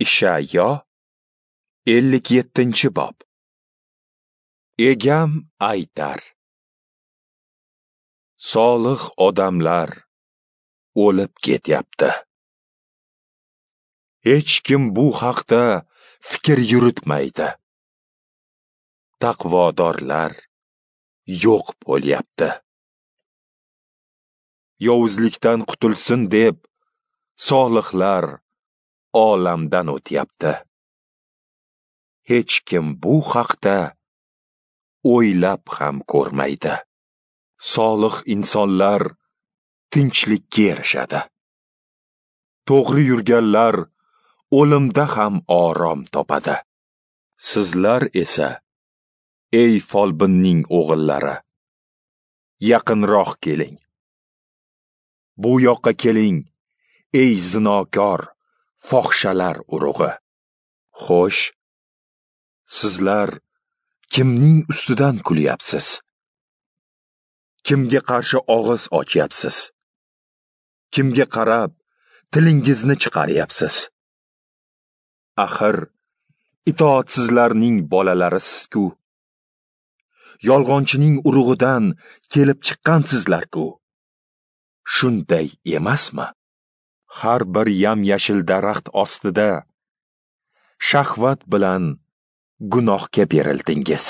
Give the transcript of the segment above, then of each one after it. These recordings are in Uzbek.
Ishayo 57-bob. Egam aytar: solih odamlar o'lib ketyapti. Hech kim bu haqda fikr yuritmaydi. Taqvodorlar yo'q bo'lyapti. Yovuzlikdan qutulsin deb solihlar olamdan o'tyapti. Hech kim bu haqda o'ylab ham ko'rmaydi. Solih insonlar tinchlikka erishadi. To'g'ri yurganlar o'limda ham orom topadi. Sizlar esa, ey folbinning o'g'illari, yaqinroq keling. Bu yoqqa keling, ey zinokor, fohishalar urug'i. Xo'sh, sizlar kimning ustidan kulyapsiz? Kimga qarshi og'iz ochyapsiz? Kimga qarab tilingizni chiqaryapsiz? Axir itoatsizlarning bolalarisiz-ku. Yolg'onchining urug'idan kelib chiqqansizlar-ku. Shunday emasmi? Har bir yam-yashil daraxt ostida shahvat bilan gunohga berildingiz.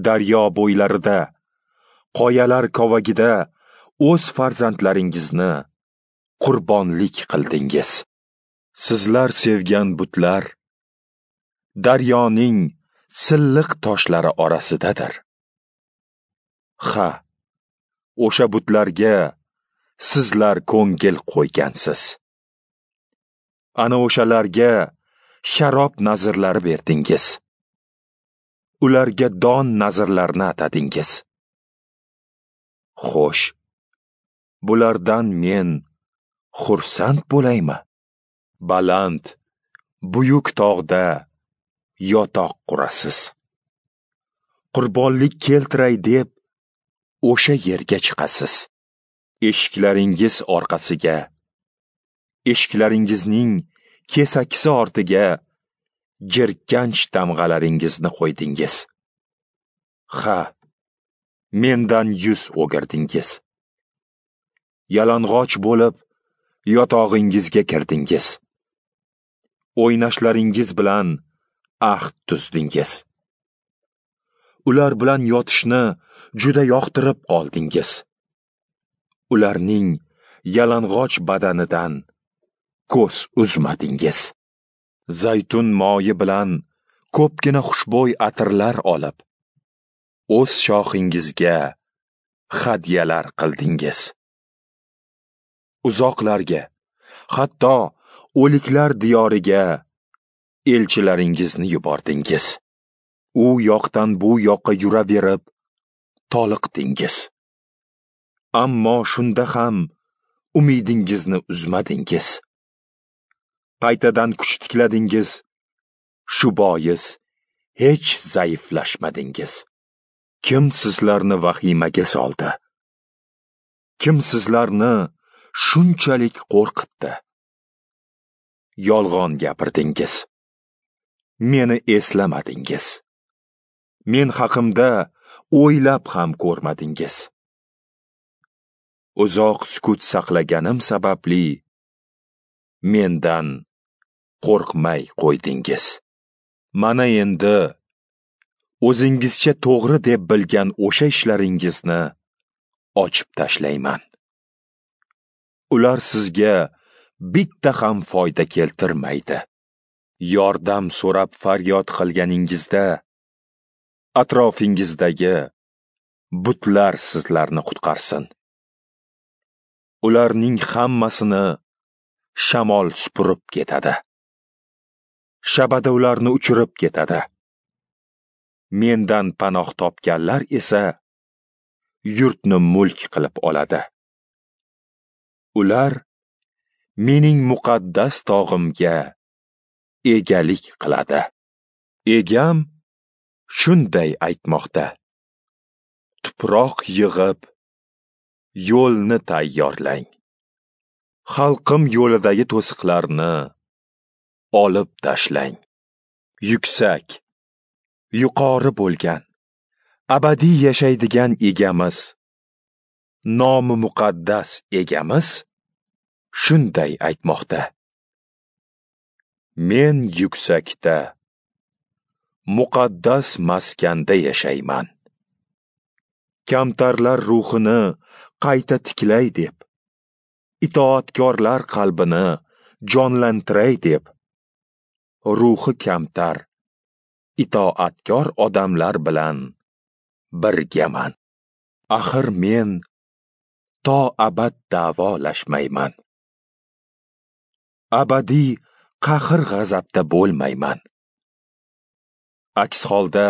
Daryo bo'ylarida, qoyalar kovagida o'z farzandlaringizni qurbonlik qildingiz. Sizlar sevgan butlar daryoning silliq toshlari orasidadir. Ha, o'sha butlarga sizlar ko'ngil qo'ygansiz. Ana o'shalarga sharob nazrlari berdingiz. Ularga don nazrlarini atadingiz. Xo'sh, bulardan men xursand bo'laymi? Baland, buyuk tog'da yotoq qurasiz. Qurbonlik keltiray deb o'sha yerga chiqasiz. Eshiklaringiz orqasiga, eshiklaringizning kesakisi ortiga jirkanch tamg'alaringizni qo'ydingiz. Ha, mendan yuz o'girdingiz. Yalang'och bo'lib yotog'ingizga kirdingiz. O'ynashlaringiz bilan ahd tuzdingiz. Ular bilan yotishni juda yoqtirib qoldingiz. Ularning yalang'och badanidan ko'z uzmadingiz. Zaytun moyi bilan ko'pgina xushbo'y atirlar olib, o'z shoxingizga hadyalar qildingiz. Uzoqlarga, hatto o'liklar diyoriga elchilaringizni yubordingiz. U yoqdan bu yoqqa yuraverib toliqdingiz. Ammo shunda ham umidingizni uzmadingiz. Qaytadan kuch tikladingiz. Shu bois hech zaiflashmadingiz. Kim sizlarni vahimaga soldi? Kim sizlarni shunchalik qo'rqitdi? Yolg'on gapirdingiz. Meni eslamadingiz. Men haqimda o'ylab ham ko'rmadingiz. Uzoq sukut saqlaganim sababli mendan qo'rqmay qo'ydingiz. Mana endi o'zingizcha to'g'ri deb bilgan o'sha ishlaringizni ochib tashlayman. Ular sizga bitta ham foyda keltirmaydi. Yordam so'rab faryod qilganingizda atrofingizdagi butlar sizlarni qutqarsin. Ularning hammasini shamol supurib ketadi. Shabada ularni uchirib ketadi. Mendan panoh topganlar esa yurtni mulk qilib oladi. Ular mening muqaddas tog'imga egalik qiladi. Egam shunday aytmoqda: tuproq yig'ib, yo'lni tayyorlang. Xalqim yo'lidagi to'siqlarni olib tashlang. Yuksak, yuqori bo'lgan, abadiy yashaydigan egamiz, nomi muqaddas egamiz shunday aytmoqda: Men yuksakda, muqaddas maskanda yashayman. Kamtarlar ruhini qayta tiklay deb, itoatkorlar qalbini jonlantiray deb, ruhi kamtar, itoatkor odamlar bilan birgaman. Axir men to abad da'volashmayman. Abadiy qahr-g'azabda bo'lmayman. Aks holda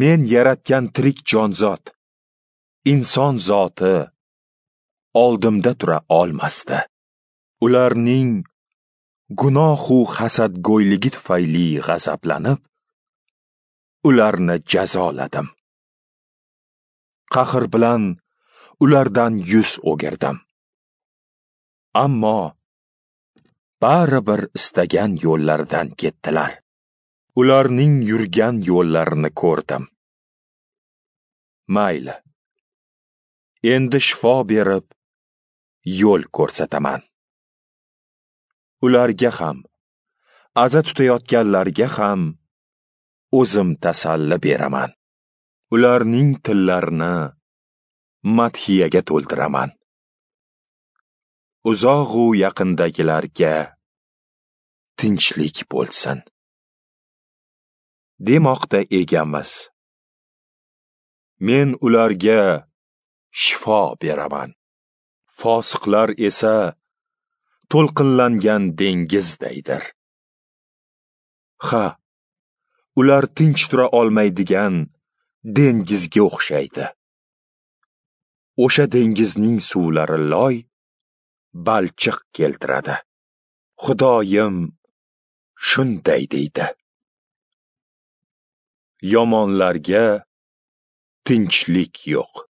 men yaratgan tirik jonzot, inson zoti oldimda tura olmasdi. Ularning gunohu hasadgo'yligi tufayli g'azablanib, ularni jazoladim. Qahr bilan ulardan yuz o'girdim. Ammo baribir istagan yo'llaridan ketdilar. Ularning yurgan yo'llarini ko'rdim. Mayli, endi shifo berib, yo'l ko'rsataman. Ularga ham, aza tutayotganlarga ham o'zim tasalli beraman. Ularning tillarini madhiyaga to'ldiraman. Uzoq-u yaqindagilarga tinchlik bo'lsin, demoqda egamiz. Men ularga shifo beraman. Fosiqlar esa to'lqinlangan dengizdaydir. Ha, ular tinch tura olmaydigan dengizga o'xshaydi. O'sha dengizning suvlari loy, balchiq keltiradi. Xudoyim shunday deydi: Yomonlarga tinchlik yo'q.